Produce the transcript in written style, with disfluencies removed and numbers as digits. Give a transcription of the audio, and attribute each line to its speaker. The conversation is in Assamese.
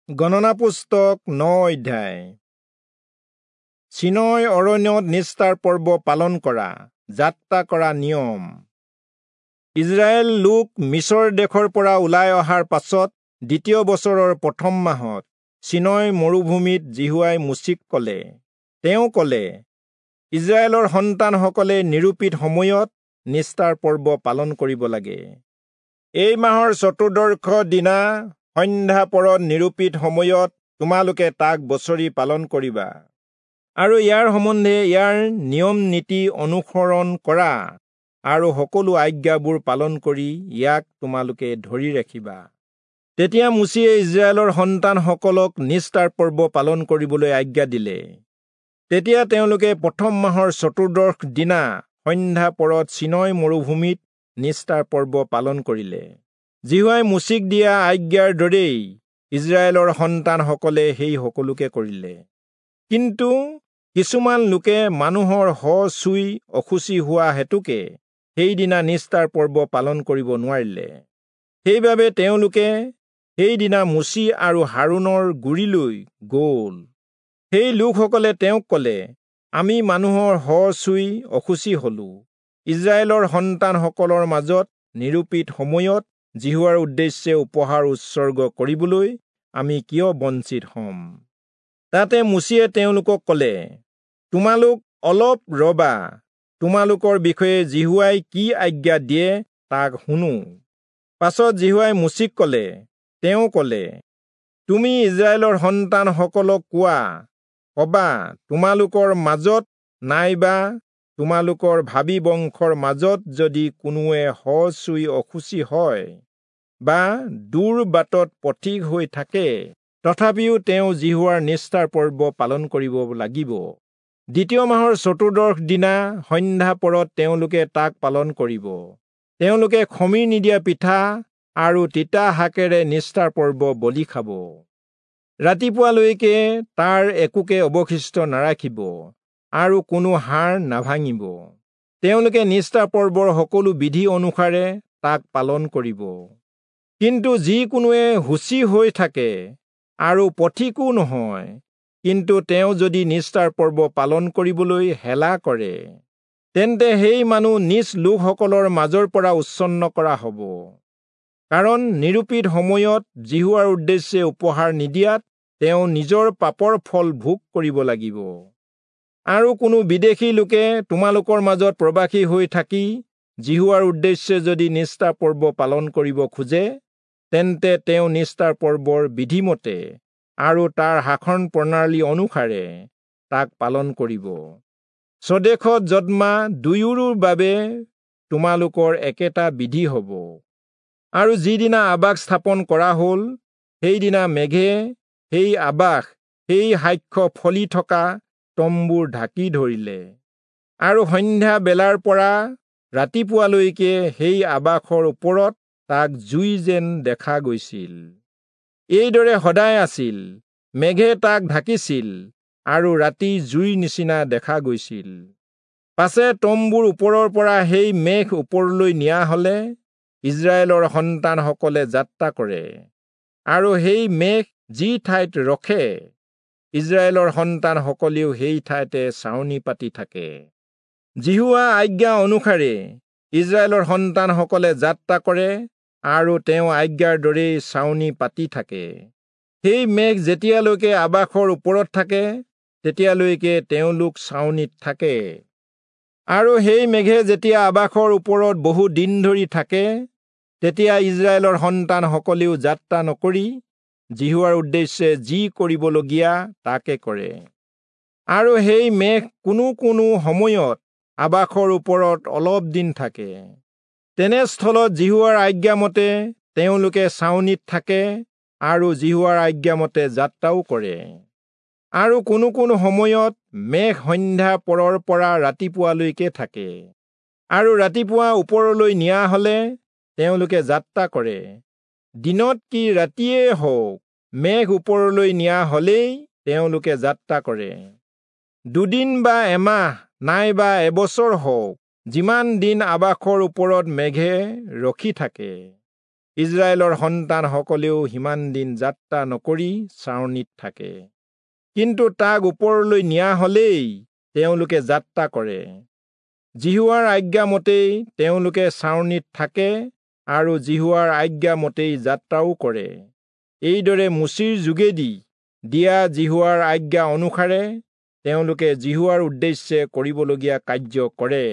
Speaker 1: গণনা পুস্তক 9 অধ্যায়। চিনয় অৰণ্যত নিস্তাৰ পৰ্ব পালন কৰা যাত্ৰা কৰা নিয়ম। ইজৰাইল লোক মিছৰ দেশৰ পৰা ওলাই অহাৰ পাছত দ্বিতীয় বছৰৰ প্ৰথম মাহত চিনয় মৰুভূমিত যিহোৱাই মোচিক ক'লে। তেওঁ ক'লে, ইজৰাইলৰ সন্তানসকলে নিৰূপিত সময়ত নিস্তাৰ পৰ্ব পালন কৰিব লাগে। এই মাহৰ চতুৰ্দশ দিনা সন্ধ্যা পৰত নিৰূপিত সময়ত তোমালোকে তাক বছৰি পালন কৰিবা আৰু ইয়াৰ সম্বন্ধে ইয়াৰ নিয়ম নীতি অনুসৰণ কৰা আৰু সকলো আজ্ঞাবোৰ পালন কৰি ইয়াক তোমালোকে ধৰি ৰাখিবা। তেতিয়া মোচিয়ে ইজৰাইলৰ সন্তানসকলক নিস্তাৰ পৰ্ব পালন কৰিবলৈ আজ্ঞা দিলে। তেতিয়া তেওঁলোকে প্ৰথম মাহৰ চতুৰ্দশ দিনা সন্ধ্যা পৰত চিনয় মৰুভূমিত নিস্তাৰ পৰ্ব পালন কৰিলে। যিহোৱাই মোচিক দিয়া আজ্ঞাৰ দৰেই ইজৰাইলৰ সন্তানসকলে সেই সকলোকে কৰিলে। কিন্তু কিছুমান লোকে মানুহৰ শ চুই অশুচি হোৱা হেতুকে সেইদিনা নিস্তাৰ পৰ্ব পালন কৰিব নোৱাৰিলে। সেইবাবে তেওঁলোকে সেইদিনা মোচি আৰু হাৰোণৰ গুৰিলৈ গ'ল। সেই লোকসকলে তেওঁক ক'লে, আমি মানুহৰ শ চুই অশুচি হলো। ইজৰাইলৰ সন্তানসকলৰ মাজত নিৰূপিত সময়ত যিহোৱাৰ উদ্দেশ্যে উপহাৰ উৎসৰ্গ কৰিবলৈ আমি কিয় বঞ্চিত হ'ম? তাতে মোচিয়ে তেওঁলোকক ক'লে, তোমালোক অলপ ৰবা, তোমালোকৰ বিষয়ে যিহোৱাই কি আজ্ঞা দিয়ে তাক শুনো। পাছত যিহোৱাই মোচিক ক'লে, তেওঁ ক'লে, তুমি ইজৰাইলৰ সন্তানসকলক কোৱা, কবা, তোমালোকৰ মাজত নাইবা তোমালোকৰ ভাবী বংশৰ মাজত যদি কোনোৱে শ চুই অশুচি হয় বা দূৰ বাটত পথিক হৈ থাকে, তথাপিও তেওঁ যিহোৱাৰ নিস্তাৰ পৰ্ব পালন কৰিব লাগিব। দ্বিতীয় মাহৰ চতুৰ্দশ দিনা সন্ধ্যা পৰত তেওঁলোকে তাক পালন কৰিব। তেওঁলোকে খমিৰ নিদিয়া পিঠা আৰু তিতা শাকেৰে নিস্তাৰ পৰ্ব বলি খাব। ৰাতিপুৱালৈকে তাৰ একোকে অৱশিষ্ট নাৰাখিব আৰু কোনো হাড় নাভাঙিব। তেওঁলোকে নিস্তাৰ পৰ্বৰ সকলো বিধি অনুসাৰে তাক পালন কৰিব। কিন্তু যিকোনোৱে শুচি হৈ থাকে আৰু পথিকো নহয়, কিন্তু তেওঁ যদি নিস্তাৰ পৰ্ব পালন কৰিবলৈ হেলা কৰে, তেন্তে সেই মানুহ নিজ লোকসকলৰ মাজৰ পৰা উচ্ছন্ন কৰা হ'ব। কাৰণ নিৰূপিত সময়ত যিহোৱাৰ উদ্দেশ্যে উপহাৰ নিদিয়াত তেওঁ নিজৰ পাপৰ ফল ভোগ কৰিব লাগিব। আৰু কোনো বিদেশী লোকে তোমালোকৰ মাজত প্ৰবাসী হৈ থাকি যিহোৱাৰ উদ্দেশ্যে যদি নিস্তাৰ পৰ্ব পালন কৰিব খোজে, তেন্তে তেওঁ নিস্তাৰ পৰ্বৰ বিধিমতে আৰু তাৰ শাসন প্ৰণালী অনুসাৰে তাক পালন কৰিব। স্বদেশত জন্মা দুয়োৰো বাবে তোমালোকৰ একেটা বিধি হ'ব। আৰু যিদিনা আবাস স্থাপন কৰা হ'ল, সেইদিনা মেঘে সেই আবাস, সেই সাক্ষ্য ফলি থকা তম্বুৰ ঢাকি ধৰিলে। আৰু সন্ধ্যা বেলাৰ পৰা ৰাতিপুৱালৈকে সেই আবাসৰ ওপৰত তাক জুই যেন দেখা গৈছিল। এইদৰে সদায় আছিল, মেঘে তাক ঢাকিছিল আৰু ৰাতি জুইৰ নিচিনা দেখা গৈছিল। পাছে তম্বুৰ ওপৰৰ পৰা সেই মেঘ ওপৰলৈ নিয়া হলে ইজৰাইলৰ সন্তানসকলে যাত্ৰা কৰে, আৰু সেই মেঘ যি ঠাইত ৰখে, ইজৰাইলৰ সন্তানসকলেও সেই ঠাইতে ছাউনি পাতি থাকে। যিহোৱা আজ্ঞা অনুসাৰে ইজৰাইলৰ সন্তানসকলে যাত্ৰা কৰে আৰু তেওঁ আজ্ঞাৰ দৰেই ছাউনি পাতি থাকে। সেই মেঘ যেতিয়ালৈকে আবাসৰ ওপৰত থাকে, তেতিয়ালৈকে তেওঁলোক ছাউনিত থাকে। আৰু সেই মেঘে যেতিয়া আবাসৰ ওপৰত বহু দিন ধৰি থাকে, তেতিয়া ইজৰাইলৰ সন্তানসকলেও যাত্ৰা নকৰি যিহোৱাৰ উদ্দেশ্যে যি কৰিবলগীয়া তাকে কৰে। আৰু সেই মেঘ কোনো কোনো সময়ত আবাসৰ ওপৰত অলপ দিন থাকে। তেনেস্থলত যিহোৱাৰ আজ্ঞামতে তেওঁলোকে ছাউনিত থাকে আৰু যিহোৱাৰ আজ্ঞামতে যাত্ৰাও কৰে। আৰু কোনো কোনো সময়ত মেঘ সন্ধ্যা পৰৰ পৰা ৰাতিপুৱালৈকে থাকে, আৰু ৰাতিপুৱা ওপৰলৈ নিয়া হলে তেওঁলোকে যাত্ৰা কৰে। দিনত কি ৰাতিয়ে হওক, মেঘ ওপৰলৈ নিয়া হলেই তেওঁলোকে যাত্ৰা কৰে। দুদিন বা এমাহ নাইবা এবছৰ হওক, যিমান দিন আবাসৰ ওপৰত মেঘে ৰখি থাকে, ইস্ৰায়েলৰ সন্তানসকলেও সিমান দিন যাত্ৰা নকৰি ছাউনিত থাকে। কিন্তু তাক ওপৰলৈ নিয়া হলেই তেওঁলোকে যাত্ৰা কৰে। যিহোৱাৰ আজ্ঞা মতেই তেওঁলোকে ছাউনিত থাকে আৰু যিহোৱাৰ আজ্ঞা মতেই যাত্ৰাও কৰে। এইদৰে মোচিৰ যোগেদি দিয়া যিহোৱাৰ আজ্ঞা অনুসাৰে তেওঁলোকে যিহোৱাৰ উদ্দেশ্যে কৰিবলগীয়া কাৰ্য কৰে।